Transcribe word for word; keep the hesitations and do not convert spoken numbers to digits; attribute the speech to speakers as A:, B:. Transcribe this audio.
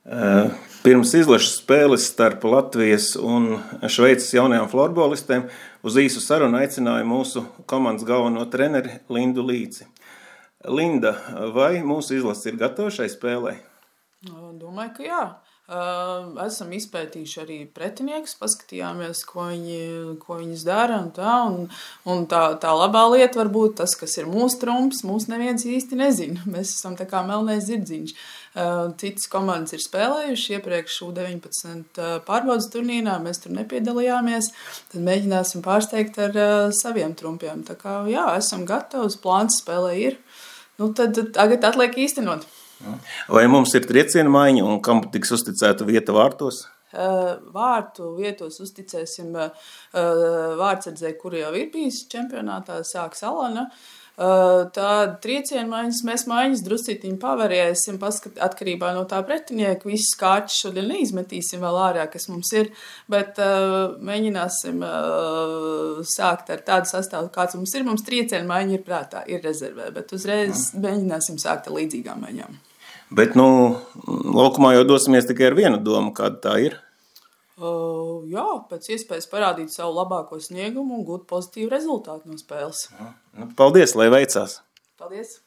A: Pirms izlašu spēles starp Latvijas un Šveices jaunajām florbolistēm uz īsu sarunu aicināju mūsu komandas galveno treneri Lindu Līci. Linda, vai mūsu izlase ir gatava šai spēlei?
B: Domāju, ka jā. Esam izpētījuši arī pretiniekus, paskatījāmies, ko viņi, ko viņas dara un tā, un, un tā, tā labā lieta var būt tas, kas ir mūsu trumps, mūs neviens īsti nezina. Mēs esam tā kā melnais zirdziņš. Citas komandas ir spēlējuši iepriekš U deviņpadsmit pārbaudas turnīrā, mēs tur nepiedalījāmies, tad mēģināsim pārsteigt ar saviem trumpiem. Tā kā jā, esam gatavi, plāns spēlē ir, nu tad tagad atliek īstenot.
A: Vai mums ir trieciena maiņa un kam tiks uzticēta vieta vārtos?
B: Vārtu vietos uzticēsim vārtsardzei, kura jau ir bijis čempionātā, sāks Alana. Tā trieciena maiņas, mēs maiņas druscītiņi pavarēsim, paskat, atkarībā no tā pretinieka. Visas kārtas šodien neizmetīsim vēl ārā, kas mums ir, bet uh, mēģināsim uh, sākt ar tādu sastāvu, kāds mums ir. Mums trieciena maiņa ir prātā, ir rezervē, bet uzreiz mm. mēģināsim sākt ar līdzīgām maiņām.
A: Bet, nu, laukumā jau dosimies tikai ar vienu domu, kāda tā ir?
B: Uh, jā, pēc iespējas parādīt savu labāko sniegumu un gūt pozitīvu rezultātu no spēles.
A: Nu, paldies, lai veicās!
B: Paldies!